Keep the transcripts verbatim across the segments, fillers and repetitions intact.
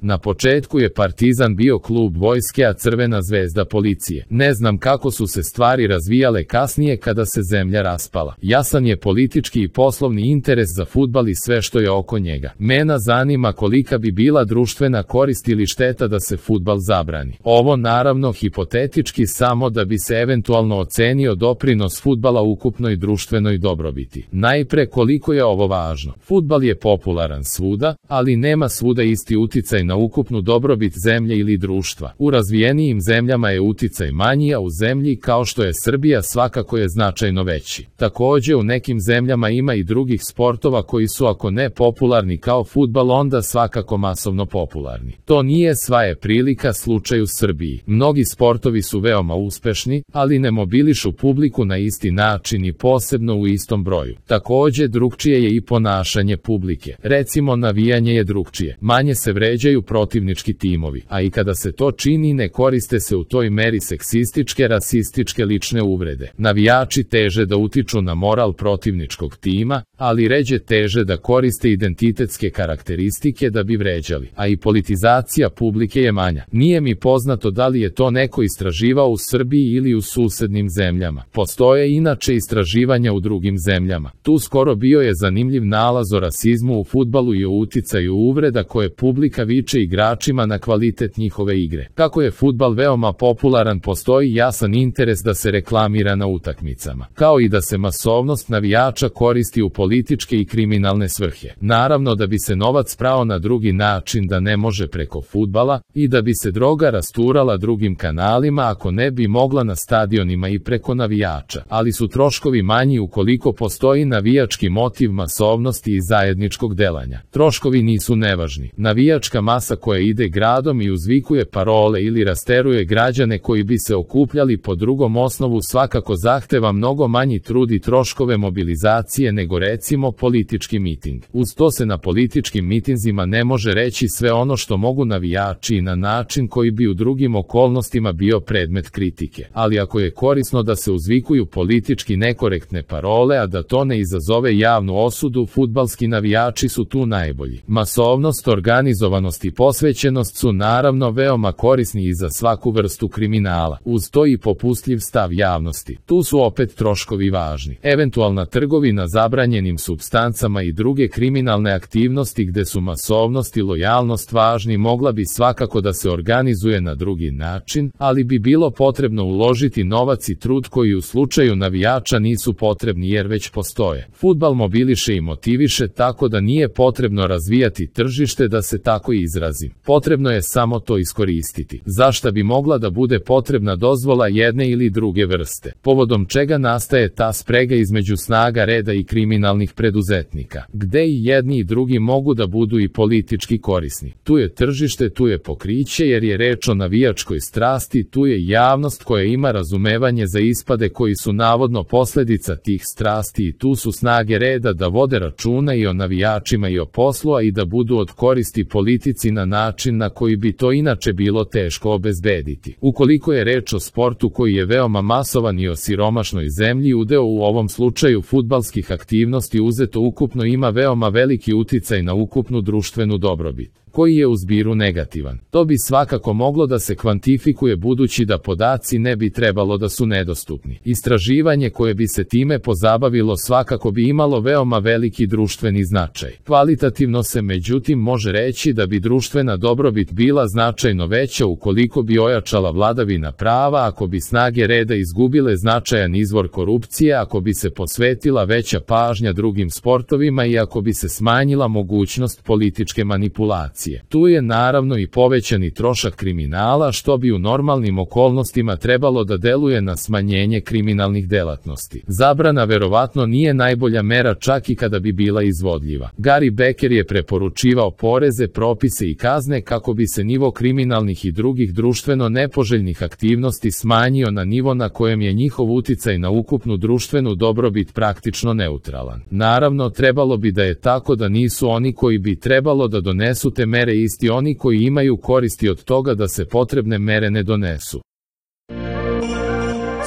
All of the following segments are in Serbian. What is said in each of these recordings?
Na početku je Partizan bio klub vojske, a Crvena zvezda policije. Ne znam kako su se stvari razvijale kasnije kada se zemlja raspala. Jasan je politički i poslovni interes za fudbal i sve što je oko njega. Mene zanima kolika bi bila društvena korist ili šteta da se fudbal zabrani. Ovo naravno hipotetički, samo da bi se eventualno ocenio doprinos fudbala ukupnoj društvenoj dobrobiti. Najpre, koliko je ovo važno. Fudbal je popularan svuda, ali nema svuda isti uticaj na ukupnu dobrobit zemlje ili društva. U razvijenijim zemljama je uticaj manji, a u zemlji kao što je Srbija svakako je značajno veći. Takođe, u nekim zemljama ima i drugih sportova koji su, ako ne popularni kao fudbal, onda svakako masovno popularni. To nije sva je prilika slučaj u Srbiji. Mnogi sportovi su veoma uspešni, ali ne mobilišu publiku na isti način i posebno u istom broju. Takođe, drugčije je i ponašanje publike. Recimo, navijanje je drugčije. Manje se vređaju protivnički timovi, a i kada se to čini ne koriste se u toj meri seksističke, rasističke lične uvrede. Navijači teže da utiču na moral protivničkog tima, ali ređe teže da koriste identitetske karakteristike da bi vređali, a i politizacija publike je manja. Nije mi poznato da li je to neko istraživao u Srbiji ili u susednim zemljama. Postoje inače istraživanja u drugim zemljama. Tu skoro bio je zanimljiv nalaz o rasizmu u fudbalu i o uticaju uvreda koje publika viče igračima na kvalitet njihove igre. Kako je fudbal veoma popularan, postoji jasan interes da se reklamira na utakmicama, kao i da se masovnost navijača koristi u političke i kriminalne svrhe. Naravno da bi se novac prao na drugi način, da ne može preko fudbala, i da bi se droga rasturala drugim kanalima ako ne bi mogla na stadionima i preko navijača, ali su troškovi manji ukoliko postoji navijački motiv masovnosti i zajedničkog delanja. Troškovi nisu nevažni. Navijačka masa koja ide gradom i uzvikuje parole ili rasteruje građane koji bi se okupljali po drugom osnovu svakako zahteva mnogo manji trud i troškove mobilizacije nego recimo politički miting. Uz to se na političkim mitinzima ne može reći sve ono što mogu navijači i na način koji bi u drugim okolnostima bio predmet kritike. Ali ako je korisno da se uzvikuju politički nekorektne parole, a da to ne izazove javnu osudu, fudbalski navijači su tu najbolji. Masovnost, organizovanost i posvećenost su naravno veoma korisni i za svaku vrstu kriminala. Uz to i popustljiv stav javnosti. Tu su opet troškovi važni. Eventualna trgovina zabranjenim supstancama i druge kriminalne aktivnosti gde su masovnost i lojalnost važni mogla bi svakako da se organizuje na drugi način, ali bi bilo potrebno uložiti novac i trud koji u slučaju navijača nisu potrebni jer već postoje. Fudbal mobiliše i motiviše, tako da nije potrebno razvijati tržište, da se tako izrazim. Potrebno je samo to iskoristiti. Zašta bi mogla da bude potrebna dozvola jedne ili druge vrste, povodom čega nastaje ta sprega između snaga reda i kriminalnih preduzetnika, gde i jedni i drugi mogu da budu i politički korisni. Tu je tržište, tu je pokriće jer je reč o navijačkoj strasti, tu je javnost koja ima razumevanje za ispade koji su navodno posledica tih strasti i tu su snage reda da vode računa i o navijačima i o poslu, a i da budu od koristi politici na način na koji bi to inače bilo teško obezbediti. Ukoliko je reč o sportu koji je veoma masovan i o siromašnoj zemlji, udeo u ovom slučaju fudbalskih aktivnosti uzeto ukupno ima veoma veliki uticaj na ukupnu društvenu dobrobit, koji je u zbiru negativan. To bi svakako moglo da se kvantifikuje budući da podaci ne bi trebalo da su nedostupni. Istraživanje koje bi se time pozabavilo svakako bi imalo veoma veliki društveni značaj. Kvalitativno se međutim može reći da bi društvena dobrobit bila značajno veća ukoliko bi ojačala vladavina prava, ako bi snage reda izgubile značajan izvor korupcije, ako bi se posvetila veća pažnja drugim sportovima i ako bi se smanjila mogućnost političke manipulacije. Tu je naravno i povećani trošak kriminala, što bi u normalnim okolnostima trebalo da deluje na smanjenje kriminalnih delatnosti. Zabrana verovatno nije najbolja mera čak i kada bi bila izvodljiva. Gary Becker je preporučivao poreze, propise i kazne kako bi se nivo kriminalnih i drugih društveno nepoželjnih aktivnosti smanjio na nivo na kojem je njihov uticaj na ukupnu društvenu dobrobit praktično neutralan. Naravno, trebalo bi da je tako da nisu oni koji bi trebalo da donesu te mere isti oni koji imaju koristi od toga da se potrebne mere ne donesu.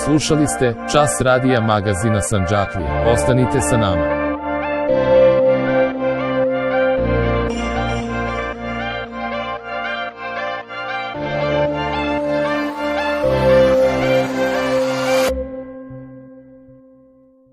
Slušali ste Čas radija magazina Sandžaklija. Ostanite sa nama.